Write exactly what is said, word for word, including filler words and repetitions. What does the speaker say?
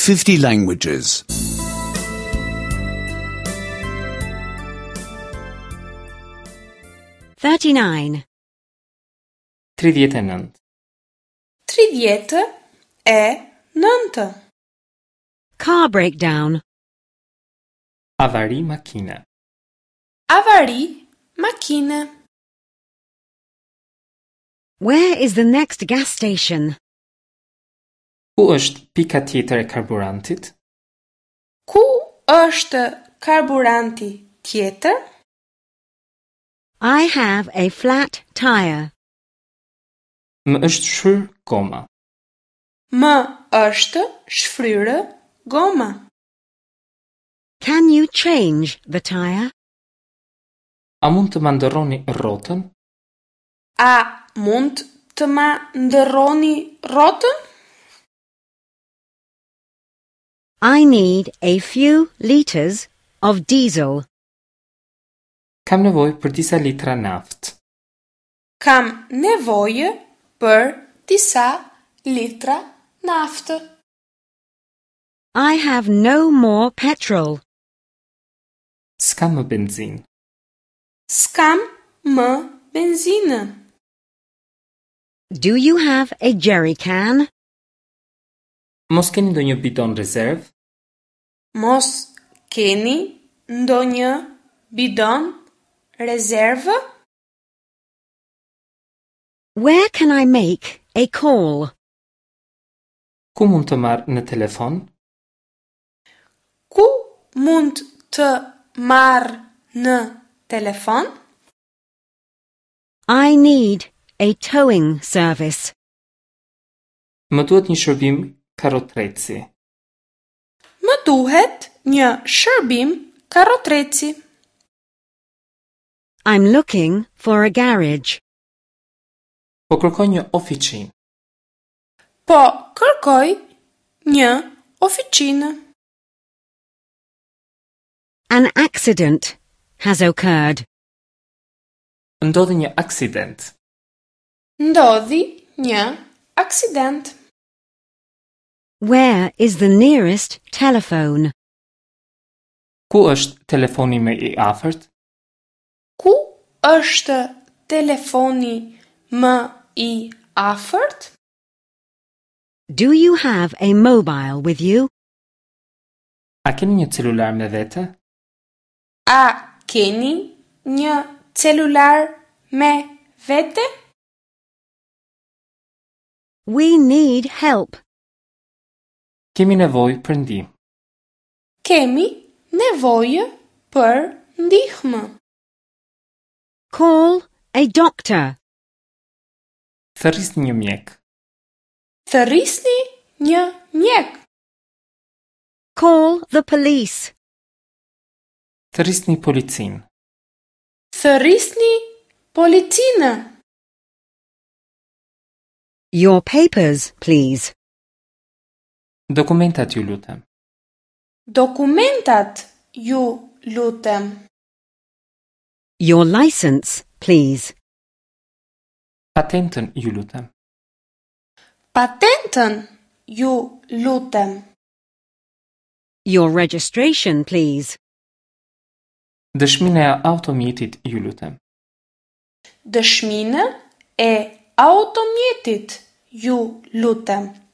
fifty languages. thirty-nine. tridhjetë e nëntë. Tridhjetë e nëntë. Car breakdown. Avari makine. Avari makine. Where is the next gas station? Ku është pika tjetër e karburantit? Ku është karburanti tjetër? I have a flat tire. Më është shfryr goma. Më është shfryrë goma. Can you change the tire? A mund të ma ndërroni rrotën? A mund të ma ndërroni rrotën? I need a few liters of diesel. Kam nevojë për disa litra naftë. Kam nevojë për disa litra naftë. I have no more petrol. S'kam më benzinë. S'kam më benzinë. Do you have a jerry can? Mos keni ndonjë bidon rezervë? Mos keni ndonjë bidon rezervë? Where can I make a call? Ku mund të marr në telefon? Ku mund të marr në telefon? I need a towing service. Më duhet një shërbim karrotreci. Më duhet një shërbim karrotreci. I'm looking for a garage. Po kërkoj një ofiqinë. Po kërkoj një ofiqinë. An accident has occurred. Ndodhi një aksident. Ndodhi një aksident. Where is the nearest telephone? Ku është telefoni më i afërt? Ku është telefoni më i afërt? Do you have a mobile with you? A keni një celular me vete? A keni një celular me vete? We need help. Kemi nevojë për ndihmë. Kemi nevojë për ndihmë. Call a doctor. Thërrisni një mjek. Thërrisni një mjek. Call the police. Thërrisni policinë. Thërrisni policinë. Your papers, please. Dokumentat ju lutem. Dokumentat ju lutem. Your license, please. Patentën ju lutem. Patentën ju lutem. Your registration, please. Dëshminë e automjetit ju lutem. Dëshminë e automjetit ju lutem.